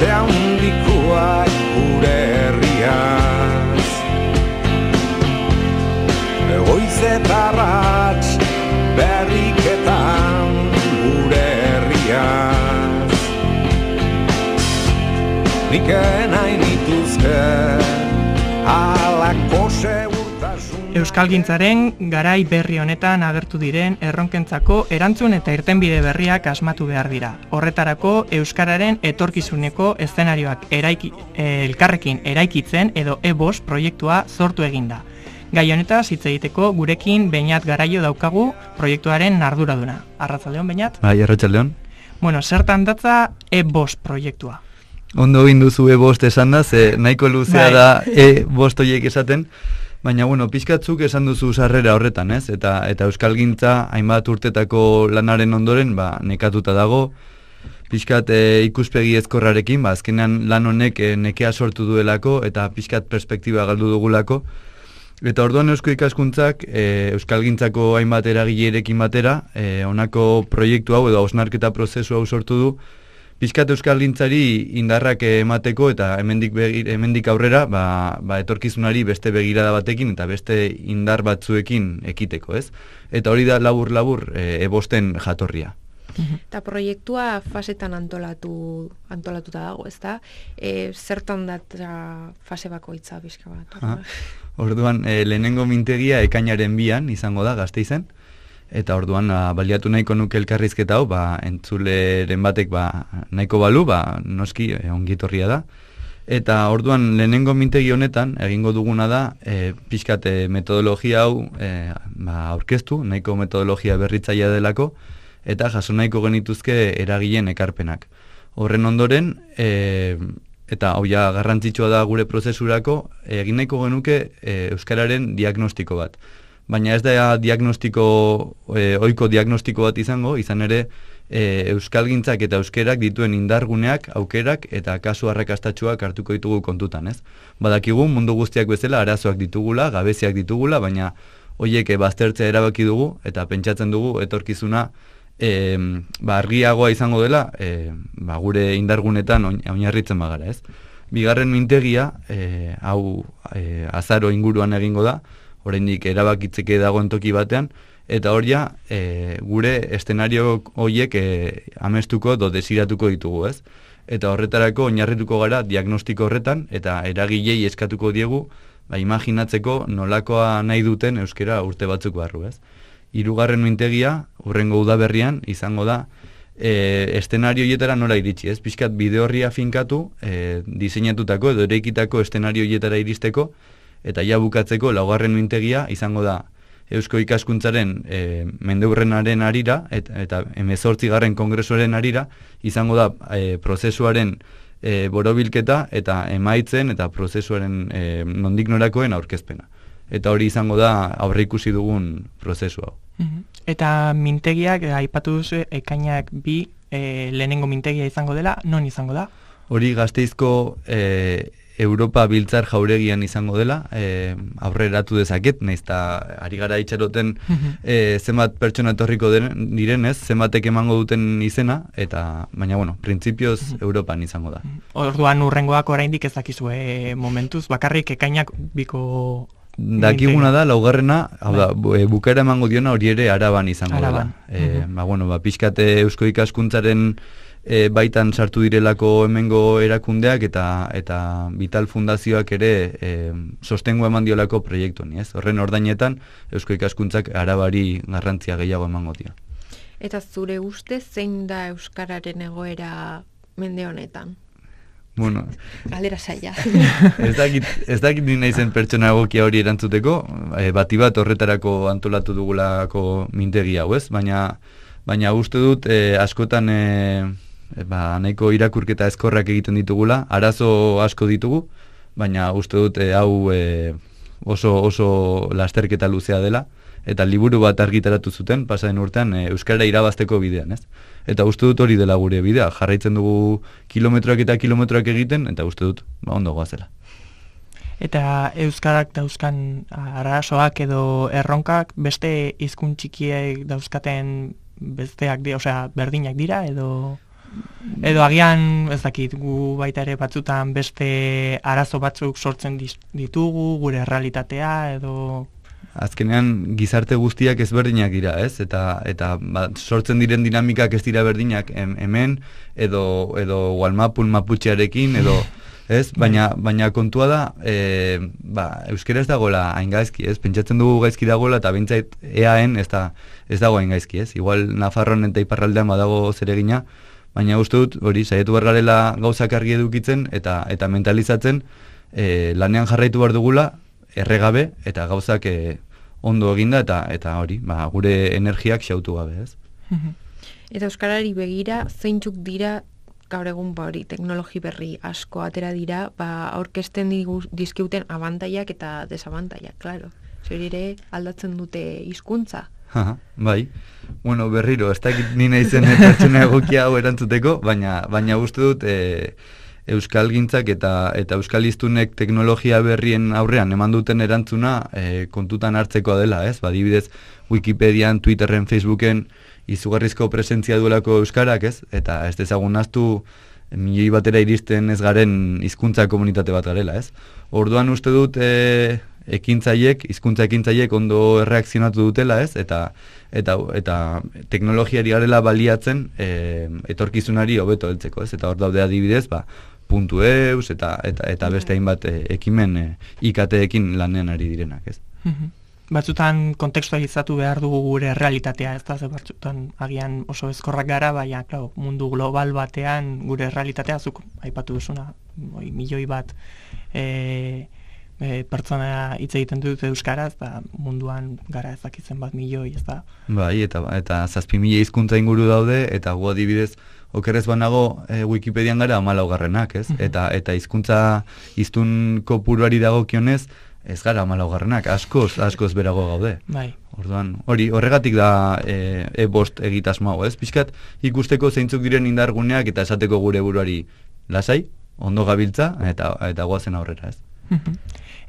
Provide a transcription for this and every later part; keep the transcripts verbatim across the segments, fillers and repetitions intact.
beste handikoak gure herriaz. Goiz eta arrats berriketan gure herriaz. Nik nahi nituzke halako segurtasun. Euskalgintzaren garai berri honetan agertu diren erronkentzako erantzun eta irtenbide berriak asmatu behar dira. Horretarako euskararen etorkizuneko eszenarioak eraiki, elkarrekin eraikitzen edo E bost proiektua sortu eginda. Gai honetaz hitz egiteko gurekin Beñat Garaio daukagu proiektuaren arduraduna. Arratsaldeon Beñat? Bai, arratsaldeon. Bueno, zertan datza E bost proiektua? Ondo egin duzu E bost esan da, ze nahiko luzea bai. Da E bost horiek esaten, baina bueno, pizkatzuk esan duzu sarrera horretan, ez? Eta eta euskalgintza hainbat urtetako lanaren ondoren, ba, nekatuta dago, pizkat e, ikuspegi ezkorrarekin, ba, azkenean lan honek e, nekea sortu duelako eta pizkat perspektiba galdu dugulako. Eta orduan Eusko Ikaskuntzak e, euskalgintzako hainbat eragileekin batera, e, honako proiektu hau edo hausnarketa prozesu hau sortu du, pizkat euskalgintzari indarrak emateko eta hemendik begir, hemendik aurrera ba, ba etorkizunari beste begirada batekin eta beste indar batzuekin ekiteko, ez? Eta hori da labur-labur e, E bosten jatorria. Eta proiektua fasetan antolatu antolatuta dago, ezta? E, zertan da fase bakoitza pixka bat? Ha, orduan, e, lehenengo mintegia ekainaren bian izango da Gasteizen. Eta orduan a, baliatu nahiko nuke elkarrizketa hau, ba, entzuleren batek ba, nahiko balu, ba, noski e, ongitorria da. Eta orduan lehenengo mintegi honetan egingo duguna da e, pixkat e, metodologia hau e, ba, aurkeztu, nahiko metodologia berritzailea delako, eta jaso nahiko genituzke eragileen ekarpenak. Horren ondoren, e, eta hau ja garrantzitsua da gure prozesurako, egin nahiko genuke e, euskararen diagnostiko bat. Baina ez da diagnostiko, e, ohiko diagnostiko bat izango, izan ere e, euskalgintzak eta euskerak dituen indarguneak, aukerak eta kasu arrakastatsuak hartuko ditugu kontutan, ez? Badakigu mundu guztiak bezala arazoak ditugula, gabeziak ditugula, baina horiek e, baztertzea erabaki dugu eta pentsatzen dugu etorkizuna e, ba, argiagoa izango dela e, ba, gure indargunetan oinarritzen bagara, ez? Bigarren mintegia, e, hau e, azaro inguruan egingo da, oraindik erabakitzeke dagoen toki batean, eta hor ja, e, gure eszenario horiek e, amestuko edo desiratuko ditugu, ez? Eta horretarako oinarrituko gara diagnostiko horretan, eta eragilei eskatuko diegu, ba, imaginatzeko nolakoa nahi duten euskera urte batzuk barru, ez? Hirugarren mintegia, hurrengo udaberrian, izango da, e, eszenario hietara nola iritsi, ez? Pixkat bide horria finkatu, e, diseinatutako edo ereikitako eszenario hietara iristeko, eta ja bukatzeko laugarren mintegia izango da Eusko Ikaskuntzaren e, mendeurrenaren arira eta, eta hemezortzigarren kongresuaren arira izango da e, prozesuaren e, borobilketa eta emaitzen eta prozesuaren e, nondik norakoen aurkezpena. Eta hori izango da aurreikusi dugun prozesu hau. Eta mintegiak, aipatu duzu, ekainak bi e, lehenengo mintegia izango dela, non izango da? Hori Gasteizko e, Europa Biltzar jauregian izango dela, e, aurreratu dezaket, nahiz eta ari gara itxaroten e, zenbat pertsona etorriko direnez, zenbatek emango duten izena, eta baina, bueno, printzipioz Europan izango da. Orduan urrengoak oraindik ez dakizue momentuz, bakarrik ekainak biko... Dakiguna da, laugarrena, hau da, bukaera emango diona hori ere Araban izango Araban. dela. E, ba, bueno, ba, pixkate Eusko Ikaskuntzaren E, baitan sartu direlako hemengo erakundeak eta eta Vital Fundazioak ere e, sostengo eman diolako proiektu honi, ez? Horren ordainetan Eusko Ikaskuntzak Arabari garrantzia gehiago emango dio. Eta zure uste zein da euskararen egoera mende honetan? Bueno, galdera saia. ez dakit, ez dakit ni naizen pertsona egokia hori erantzuteko, e, bati bat horretarako antolatu dugulako mintegi hau, ez? Baina baina uste dut e, askotan e, ba, nahiko irakurketa ezkorrak egiten ditugula, arazo asko ditugu, baina uste dut e, hau e, oso oso lasterketa luzea dela, eta liburu bat argitaratu zuten, pasaren urtean, e, euskara irabazteko bidean, ez? Eta uste dut hori dela gure bidea, jarraitzen dugu kilometroak eta kilometroak egiten, eta uste dut, ba, ondo goazela. Eta euskarak dauzkan arazoak edo erronkak beste hizkuntz txikiek dauzkaten besteak dira, osea, berdinak dira edo... Edo agian, ez dakit, gu baita ere batzutan beste arazo batzuk sortzen ditugu, gure realitatea, edo... Azkenean gizarte guztiak ezberdinak dira, ez? Eta eta ba, sortzen diren dinamikak ez dira berdinak hem, hemen edo edo Walmapun Maputxearekin edo ez? Baina baina kontua da, e, ba, euskera ez dagoela hain gaizki, ez? Pentsatzen dugu gaizki dagoela eta behintzait eaen ez da ez dago hain gaizki, ez? Igual Nafarroan eta iparraldean badago zeregina, baina uste dut hori saiatu behar garela gauzak argi edukitzen eta eta mentalizatzen e, lanean jarraitu behar dugula erregabe eta gauzak e, ondo eginda eta eta hori, ba, gure energiak xautu gabe, ez? Eta euskarari begira, zeintzuk dira gaur egun ba hori teknologi berri asko atera dira, ba aurkezten dizkiuten abantaiak eta desabantaiak, claro. Zuri ere aldatzen dute hizkuntza. Aha, bai. Bueno, berriro, ez dakit ni naizen pertsona egokia hau erantzuteko, baina baina uste dut e, euskalgintzak eta eta euskaliztunek teknologia berrien aurrean eman duten erantzuna e, kontutan hartzekoa dela, ez? Ba, adibidez, Wikipedian, Twitterren, Facebooken izugarrizko presentzia duelako euskarak, ez? Eta ez dezagun naztu milioi batera iristen ez garen hizkuntza komunitate bat garela, ez? Orduan uste dut e, ekintzaiek, hizkuntza ekintzaiek ondo erreakzionatu dutela, ez? Eta eta eta teknologiari garela baliatzen e, etorkizunari hobeto heltzeko, ez? Eta hor daude adibidez, ba, puntu eus eta eta eta beste hainbat e, ekimen e, I K T-ekin lanean ari direnak, ez? Batzutan kontekstualizatu behar dugu gure realitatea, ez da, ze batzutan agian oso ezkorrak gara, baina, claro, mundu global batean gure realitatea, zuk aipatu duzuna, oi, milioi bat e, e, pertsona hitz egiten dut euskaraz, da munduan gara ezakitzen bat milioi, ez da. Bai, eta eta zazpi mila hizkuntza inguru daude, eta gu adibidez, okerrez banago e, Wikipedian gara hamalaugarrenak, ez? Eta eta hizkuntza hiztun kopuruari dagokionez, ez gara hamalaugarrenak, askoz, askoz berago gaude. Bai. Orduan, hori, horregatik da e, e-bost egitasmo hau, ez? Pixkat, ikusteko zeintzuk diren indarguneak eta esateko gure buruari lasai, ondo gabiltza, eta eta goazen aurrera, ez?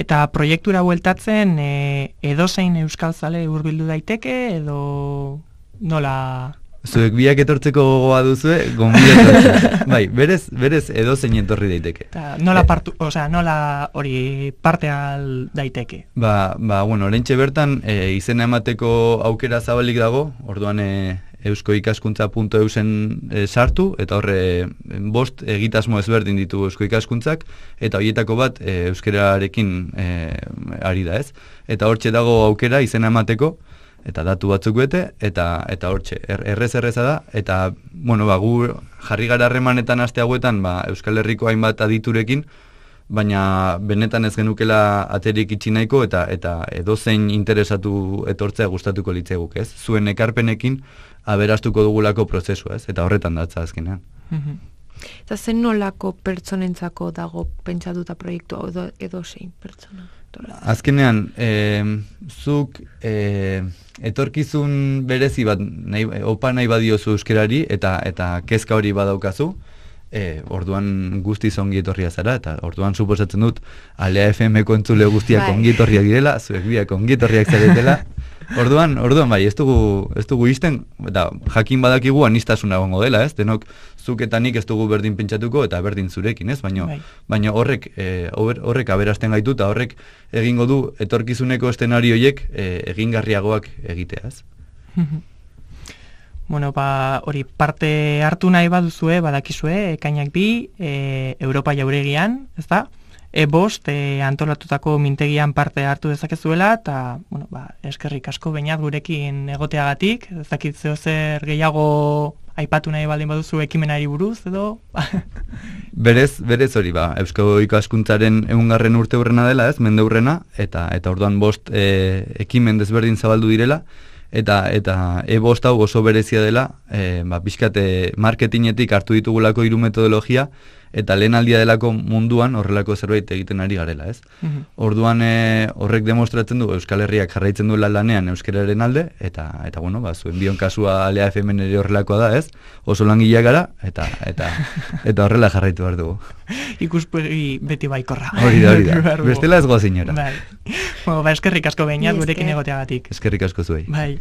Eta proiektura bueltatzen, e, edozein euskalzale hurbildu daiteke, edo nola... Zuek biak etortzeko gogoa duzue, gonbidatu. Bai, berez, berez edozein etorri daiteke. Ta, nola partu, osea, nola hori parte al daiteke? Ba, ba, bueno, oraintxe bertan e, izena emateko aukera zabalik dago, orduan e, euskoikaskuntza puntu eusen e, sartu, eta horre bost egitasmo ezberdin ditu euskoikaskuntzak, eta horietako bat e, euskerarekin e, ari da, ez? Eta hortxe dago aukera izena emateko, eta datu batzuk bete, eta eta hortxe, er, errez erreza da, eta, bueno, ba, gu jarri gara harremanetan aste hauetan, ba, Euskal Herriko hainbat aditurekin, baina benetan ez genukela aterik itxi nahiko, eta eta edozein interesatu etortzea gustatuko litzeguk, ez? Zuen ekarpenekin aberastuko dugulako prozesua, ez? Eta horretan datza azkenean. Eta zen nolako pertsonentzako dago pentsatuta proiektu hau edo, edozein pertsona? Azkenean, e, zuk e, etorkizun berezi bat nahi, opa nahi badiozu euskerari eta eta kezka hori badaukazu, e, orduan guztiz ongi etorria zara, eta orduan suposatzen dut Alea F M-ko entzule guztiak bai. ongi etorriak direla, zuek biak ongi etorriak zaretela. Orduan, orduan bai, ez dugu ez dugu isten, eta jakin badakigu anistasuna egongo dela, ez? Denok zuk eta nik ez dugu berdin pentsatuko eta berdin zurekin, ez? Baino bai. baina horrek e, horrek aberasten gaitu eta horrek egingo du etorkizuneko eszenario horiek e, egingarriagoak egitea, ez? Bueno, ba, hori parte hartu nahi baduzue, badakizue, ekainak bi, e, Europa jauregian, ez da? E-bost e, antolatutako mintegian parte hartu dezakezuela, eta, bueno, ba, eskerrik asko behinat gurekin egoteagatik, ez dakit zeo zer gehiago aipatu nahi baldin baduzu ekimenari buruz, edo? berez, berez hori, ba, Euskal Ikaskuntzaren ehungarren urte hurrena dela, ez, mende hurrena, eta, eta orduan bost e, ekimen desberdin zabaldu direla, eta eta e-bost hau oso berezia dela, e, ba, pixkat marketingetik hartu ditugulako hiru metodologia, eta lehen aldia delako munduan horrelako zerbait egiten ari garela, ez? Mm-hmm. Orduan e, horrek demostratzen du Euskal Herriak jarraitzen duela lanean euskararen alde, eta eta bueno, ba, zuen bion kasua Alea F M ere horrelakoa da, ez? Oso langileak gara, eta eta eta horrela jarraitu behar dugu. Ikuspegi beti baikorra. Hori da, hori da. Bestela ez goa zinora. Bai. Bueno, ba, eskerrik asko behinat gurekin egoteagatik. Eskerrik asko zuei. Bai.